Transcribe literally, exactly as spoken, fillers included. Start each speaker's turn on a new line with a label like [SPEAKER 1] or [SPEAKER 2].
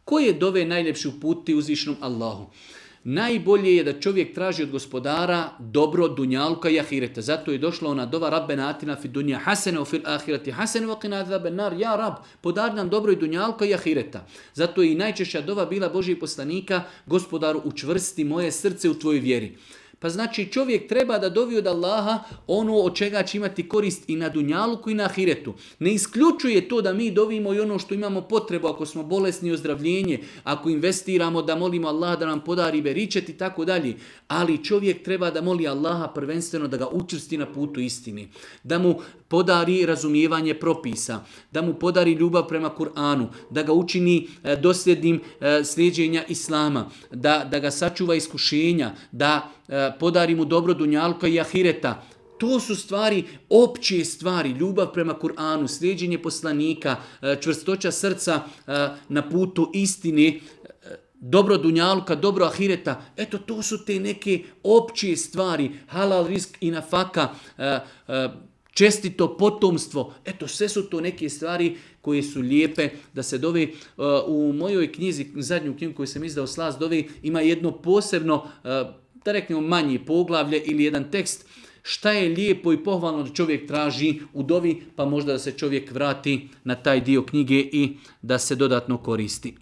[SPEAKER 1] Koje dove najljepši uputiti uzvišenom Allahu? Najbolje je da čovjek traži od gospodara dobro dunjalka i ahireta. Zato je došla ona dova Rabbena atina fid dunja hasene, fil ahireti hasene, wa qina azaben nar. Ja Rab, podari nam dobro i dunjalka i ahireta. Zato je i najčešća dova bila Božjih poslanika, gospodaru učvrsti moje srce u tvojoj vjeri. Pa znači čovjek treba da dovi od Allaha ono od čega će imati korist i na dunjaluku i na ahiretu. Ne isključuje to da mi dovimo i ono što imamo potrebu, ako smo bolesni, ozdravljenje, ako investiramo da molimo Allaha da nam podari beričet i tako dalje. Ali čovjek treba da moli Allaha prvenstveno da ga učvrsti na putu istini. Da mu podari razumijevanje propisa, da mu podari ljubav prema Kur'anu, da ga učini dosljednim slijeđenja Islama, da, da ga sačuva iskušenja, da podari mu dobro dunjalka i ahireta. To su stvari, opće stvari, ljubav prema Kur'anu, slijeđenje poslanika, čvrstoća srca na putu istine, dobro dunjalka, dobro ahireta. Eto, to su te neke opće stvari, halal risk i nafaka, čestito potomstvo. Eto, sve su to neke stvari koje su lijepe da se dove. U mojoj knjizi, zadnju knjigu koju sam izdao, Slast dove, ima jedno posebno, da reknemo manje poglavlje ili jedan tekst, šta je lijepo i pohvalno da čovjek traži u dovi, pa možda da se čovjek vrati na taj dio knjige i da se dodatno koristi.